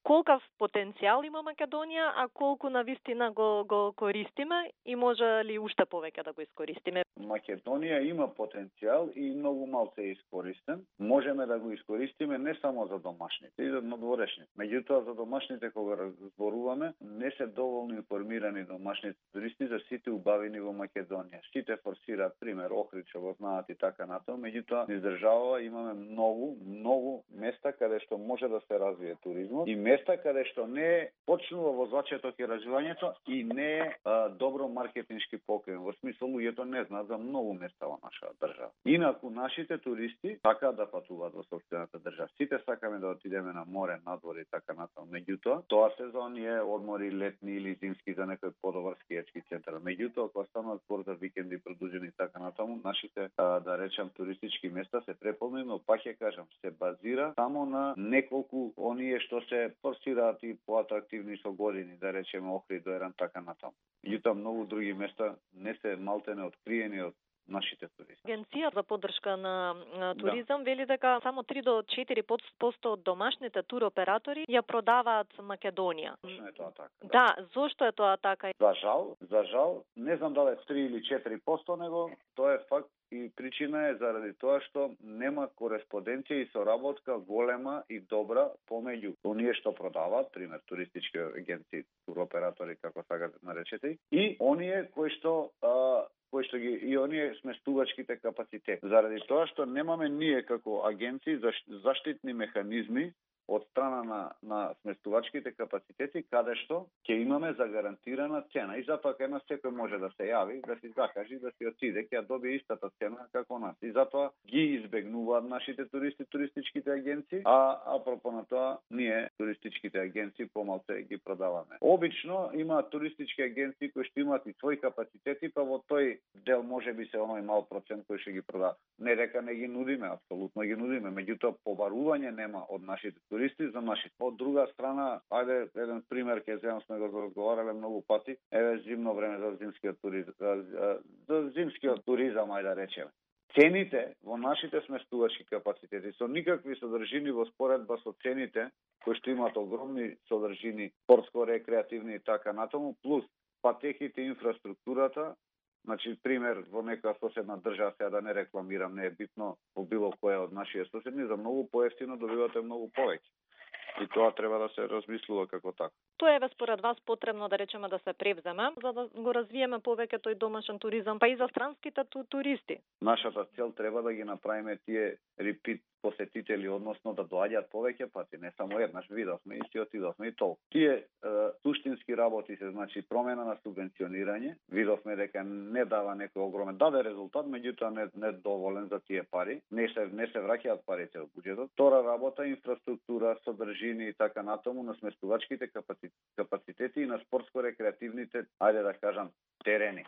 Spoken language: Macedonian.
колкав потенцијал има Македонија, а колку навистина го користиме и може ли уште повеќе да го искористиме? Македонија има потенцијал и многу малку е искористен. Можеме да го искористиме не само за домашните, и за надворешните. Меѓутоа за домашните кога разборуваме, не се доволно информирани домашните туристи за сите убавини во Македонија. Сите форсираат пример Охрид, што го знаат и така натаму, меѓутоа низ држава имаме многу места каде што може да се развие туризмот и места каде што не почнува во зачеток и развивањето и не е добро маркетиншки покрен. Во смисол луѓето не знаат за многу места во нашата држава. Инаку нашите туристи сакаат да патуваат во сопствената држава. Сите сакаме да отидеме на море, надвор и така натаму. Меѓутоа, тоа сезон е одмори летни или зимски за некој подобар скијачки центар. Меѓутоа, кога станува збор за викенди продужени и така натаму, нашите да речам туристички места се преполнени, но пак ќе кажам, се базира само на неколку оние што се форсираат и поатрактивни со години, да речеме Охрид, Доеран, така натаму. Меѓутоа, многу други места не се малтене откриени од нашите туристи. Агенција за поддршка на туризам вели дека само 3 до 4% од домашните туроператори ја продаваат Македонија. Точно е тоа така. Да, зошто е тоа така? За жал, не знам дали 3 или 4%, него тоа е факт и причина е заради тоа што нема кореспонденција и соработка голема и добра помеѓу оние што продаваат, пример туристички агенции, туроператори како сакате наречете, и оние кои што ги и оние сместувачките капацитети. Заради тоа што немаме ние како агенции заштитни механизми од страна на сместувачките капацитети, каде што ќе имаме загарантирана цена. И затоа кај нас секој може да се јави, да си закажи, да си отиде, ќе добие истата цена како нас. И затоа ги избегнуваат нашите туристи, туристичките агенции, а апропо на тоа, ние, туристичките агенции, помалку ги продаваме. Обично има туристички агенции кои што имаат и своји капацитети, па во тој дел може би се оној мал процент кој што ги продава. Не дека не ги нудиме, апсолутно ги нудиме, меѓутоа побарување нема од нашите туристи за нашите. Од друга страна, ајде еден пример ќе земам, сме го разговарале многу пати, еве зимно време за зимскиот туризам, ајде да речеме. Цените во нашите сместувачки капацитети со никакви содржини во споредба со цените кои што имаат огромни содржини, спортско-рекреативни и така натаму, плюс патеките и инфраструктурата. Значи, пример, во некоја соседна држава, сега да не рекламирам, не е битно, во било која од нашите соседни, за многу поевтино добивате многу повеќе. И тоа треба да се размислува како така. Тоа е според вас потребно да речеме да се превземе, за да го развиеме повеќе тој домашен туризам, па и за странските туристи. Нашата цел треба да ги направиме тие репит посетители, односно да доаѓаат повеќе пати, не само еднаш, видовме и си отидовме и толку. Тие суштински работи се, значи промена на субвенционирање, видовме дека не дава некој огромен, даде резултат, меѓутоа не доволен за тие пари, не се враќаат парите од буџетот. Втора работа, инфраструктура, содржини и така натаму на сместувачките капацитети и на спортско-рекреативните, ајде да кажам, терени.